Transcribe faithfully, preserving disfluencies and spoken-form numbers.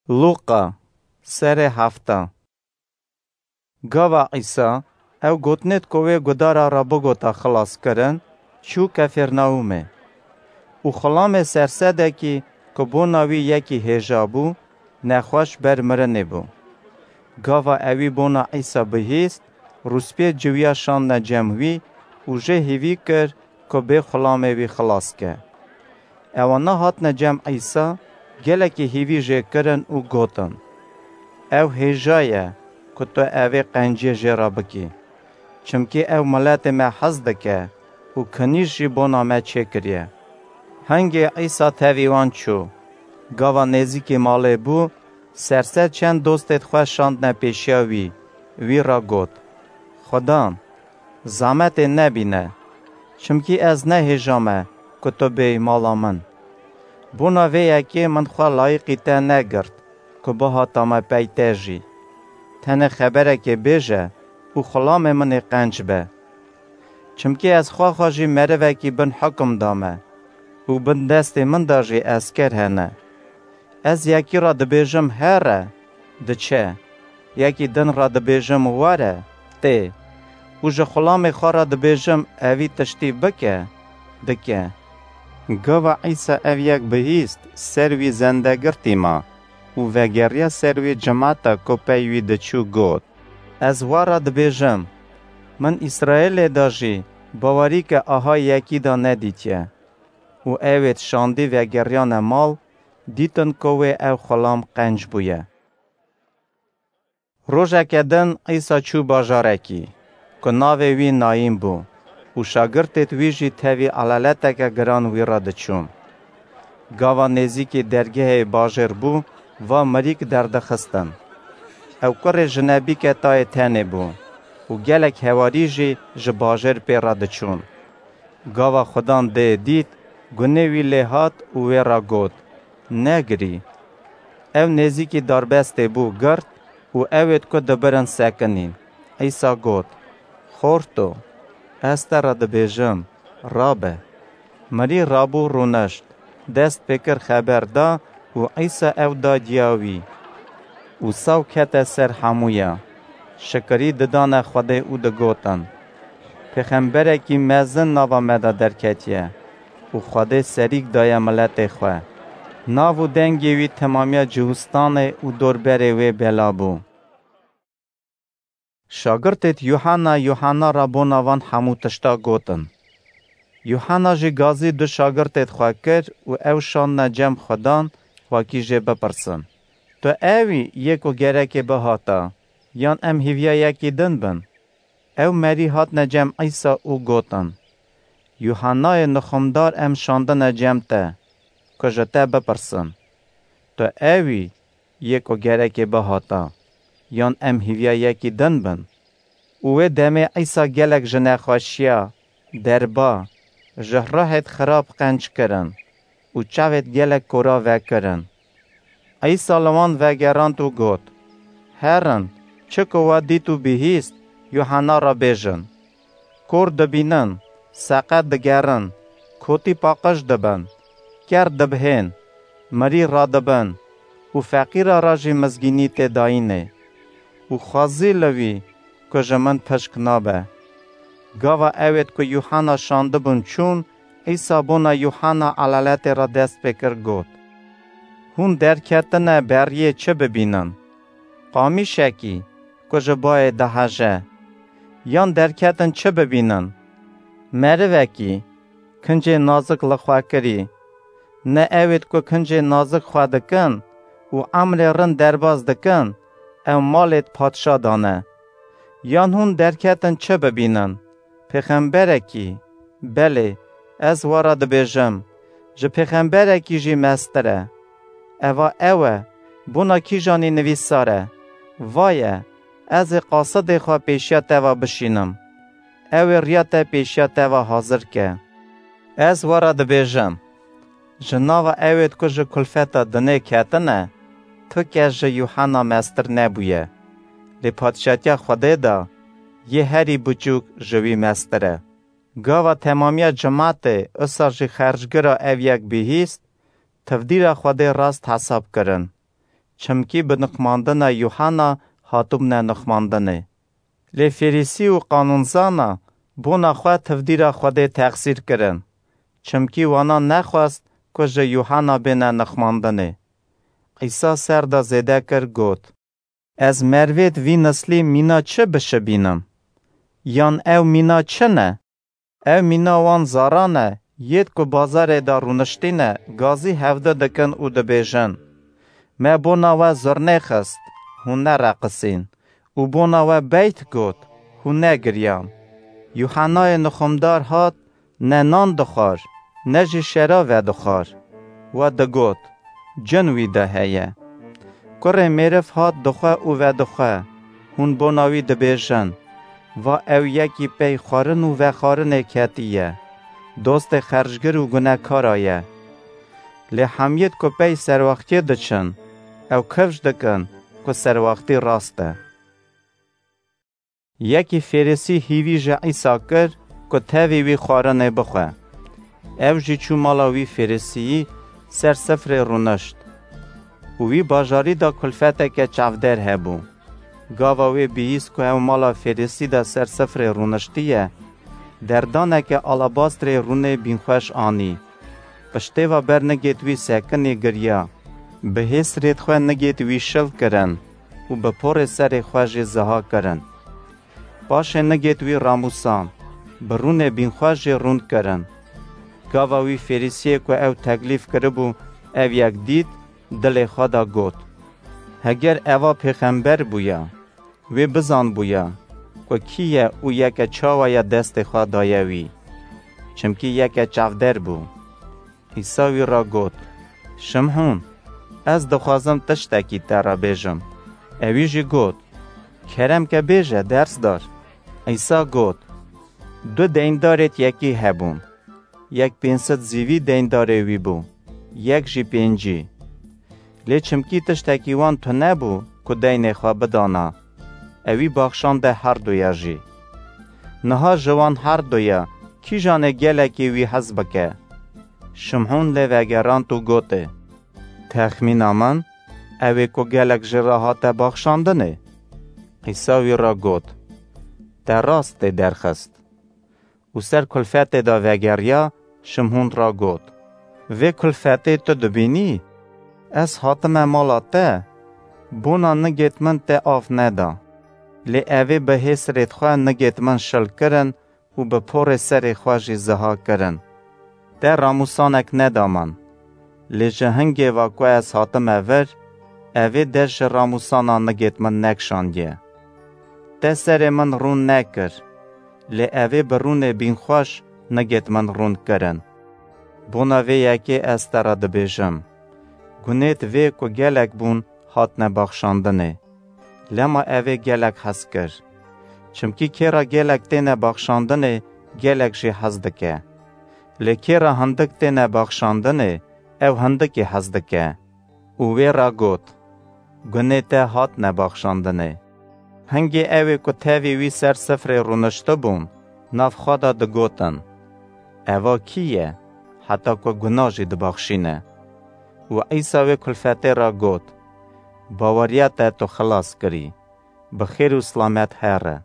Lûqa, serê hefta. Gava Îsa ew gotinêt ku wê gudara re bigota xilas kirin, çû Kefêrnaûmê. Û xulamê sersedekî ku bona wî yekî hêja bû, nexweş ber mirinê bû. Gava ewî bona Îsa bihîst, rûspiyê ciwiya şandine cem wî û jê hîvî kir ku bê xulamê wî xilas ke. Ewana hatine cem Îsa, gelekî hîvî jê kirin û gotin, "Ew hêja ye ku tu evê qenciyê jê re bikî. Çimkî ew miletê me hez dike û kinîş jî bona me çêkiriye." Hingê Îsa tevî wan çû. Gava nêzîkî malê bû, serser çend dostêt xwe şandine pêşiya wî, wî re got, "Xudan, zametê nebîne, çimkî ez ne hêja me ku tu bêyî mala min. Bona vê yekê min xwe layîqî te negirt ku bihata me pey te jî. Tenê xeberekê bêje û xulamê min ê qenc be. Çimkî ez xwexa jî merivekî bin hukum da me û bin destê min de jî esker hene. Ez yekî re dibêjim, 'Here', diçe. Yekî din re dibêjim, 'Were', tê. Û ji xulamê xwe re dibêjim, 'Evî tiştî bike', dike." Gava Îsa ev yek bihîst, ser wî zendegirtî ma û vegeriya ser wî cimata ku pey wî diçû got, "Ez we re dibêjim, min Îsraîlê de jî bawerî ke aha yekî de nedîtiye." Û ewêt şandî vegeriyane mal, dîtin ku wê ew xulam qenc bûye. Rojeke din Îsa çû bajarekî, ku navê wî Nayîn bû, û şagirtêt wî jî tevî elaleteke giran wî re diçûn. Gava nêzîkî dergehê bajêr bû, va mirîk derdixistin. Ew kurê jinebîke tayê tenê bû û gelek hewarî jî ji bajêr pê re diçûn. Gava Xudan dê dît, gunê wî lê hat û wê re got, "Negirî." Ew nêzîkî darbestê bû, girt û ewêt ku dibirin sekinîn. Îsa got, "Xorto, ez te re dibêjim, rabe." Mirî rabû rûnişt, dest pê kir xeber da û Îsa ew da diya wî. Û saw kete ser hemûya, şikirî didane Xwedê û digotin, "Pêxemberekî mezin nava me de derketiye û Xwedê serîk daye miletê xwe." Nav û dengê wî temamiya Cihûstanê û dorberê wê bela bû. Şagirtêt Yuhanna, Yuhanna re bona van hemû tişta gotin. Yuhanna jî gazî du şagirtêt xwe kir û ew şandine cem Xudan, xwekî jê bipirsin, "Tu ew î yê ku gerekê bihata, yan em hîviya yekî din bin?" Ew merî hatine cem Îsa û gotin, "Yuhannayê nixumdar em şandine cem te, ku ji te bipirsin, 'Tu ew î yê ku gerekê bihata, yan em hîviya yekî din bin?'" Û wê demê Îsa gelek ji nexweşiya, derba, ji ruhêt xirab qenc kirin û çavêt gelek kora vekirin. Îsa li wan vegerand û got, "Herin, çi ku we dît û bihîst, Yuhanna re bêjin. Kor dibînin, seqet digerin, kotî paqij dibin, ker dibihên, mirî radibin û feqîra re jî mizgînî tê dayînê. Û xwezî li wî ku ji min pişk nabe." Gava ewêt ku Yuhanna şandibûn çûn, Îsa bona Yuhanna elaletê re dest pê kir got, "Hûn derketine beriyê çi bibînin? Qamîşekî ku ji bayê diheje? Yan derketin çi bibînin? Merivekî kincê nazik li xwe kirî? Ne ewêt ku kincê nazik xwe dikin û emrê rind derbas dikin, ew malêt padşa dane? Yan hûn derketin çi bibînin? Pêxemberekî? Belê, ez we re dibêjim, ji pêxemberekî jî mestir e. Eva ew e, bona kîjanî nivîsar e, 'Vaye, ez ê qasidê xwe pêşiya te ve bişînim, ew ê riya te pêşiya te ve hazir ke.' Ez we re dibêjim, ji nava ewêt ku ji kulfeta dinê ketine, tu kes ji Yuhanna mestir nebûye. Lê padşatiya Xwedê de yê herî biçûk ji wî mestir e." Gava temamiya cimatê, usa jî xercgira ev yek bihîst, tivdîra Xwedê rast hesab kirin. çimkî bi nixmandina Yuhana hatibûne nixmandinê. Lê Fêrîsî û qanûnzana bona xwe tivdîra Xwedê texsîr kirin, çimkî wana nexwest ku ji Yuhana bêne nixmandinê. Îsa ser de zêde kir, got, Ez merivêd vî nislî mîna çi bişibînim? Yan ew mîna çi ne? Ew mîna wan zaran e, yêd ku bazarê de rûniştîne, gazî hevdu dikin û dibêjin, Me bona we zurnê xist, hûn nereqisîn, û bona we beyt got, hûn negiriyan. Yuhanayê nixumdar hat, ne nan dixwar, ne jî şera vedixwar. We digot, Cin wî de heye. Kurê mêriv hat dixwe û vedixwe, hûn bona wî dibêjin, Va ew yekî pey xwarin û vexwarinê ketiye, dostê xercgir û gunekara ye. Lê hemiyêd ku pey serwextiyê diçin, ew kifş dikin ku serwextî rast e. Yekî Fêrîsî hîvî ji Îsa kir ku tevî wî xwarinê bixwe. Ew jî çû mala wî Fêrîsiyî ser sifrê rûnişt. Û wî bajarî de kulfeteke çavdêr hebû. Gava wê bihîst ku ew mala Fêrîsî de ser sifrê rûniştiye, derdaneke alabastrê rûnê bînxweş anî. Piştê ve ber nigêt wî sekinî giriya. Bi hêsrêd xwe nigêt wî şil kirin û bi porê serê xwe jî ziha kirin. Paşê nigêt wî ramûsan, bi rûnê bînxweş jî rûn kirin. Gava wî Fêrîsiyê ku ew teklîf kiribû, ev yek dît, dilê xwe de got, Heger eva pêxember bûya, wê bizanbûya ku kî ye û yeke çawa ye destê xwe daye wî. Çimkî yeke çavdêr bû. Îsa wî re got, Şimhûn, ez dixwazim tiştekî te re bêjim. Ewî jî got, Kerem ke bêje, dersdar. Îsa got, Du deyndarêd yekî hebûn. Yek pênc sed zîvî deyndarê wî bû, yek jî pêncî. Lê çimkî tiştekî wan tune bû ku deynê xwe bidana, ewî baxşande herduya jî. Niha ji wan herduya kîjanê gelekî wî hez bike? Şimhûn lê vegerand û gotê, Texmîna min, ew ê ku gelek jê re hate baxşandinê. Îsa wî re got, Te rast tê derxist. Û ser kulfetê de vegeriya, Şimhûn re got, Vê kulfetê tu dibînî? Ez hatime mala te, bona nigêt min te av neda. Lê evê bi hêsrêd xwe nigêt min şil kirin û bi porê serê xwe jî ziha kirin. Te ramûsanek neda min. Lê ji hingê ve ku ez hatime vir, evê dest ji ramûsana nigêt min nekişandiye. Te serê min rûn nekir, lê evê bi rûnê bînxweş nigêt min rûn kirin. Bona vê yekê ez te re dibêjim, gunêt vê ku gelek bûn hatine baxşandinê. Lema evê gelek hez kir. Çimkî kê re gelek têne baxşandinê, gelek jî hez dike. Lê kê re hindik têne baxşandinê, ew hindikî hez dike. Û wê re got, Gunê te hatine baxşandinê. Hingê ew ê ku tevî wî ser sifrê rûniştibûn, nav xwe de digotin, Eva kî ye, heta ku guna jî dibaxşîne? Û Îsa wê kulfetê re got, Baweriya te tu xilas kirî. Bi xêr û silamet here.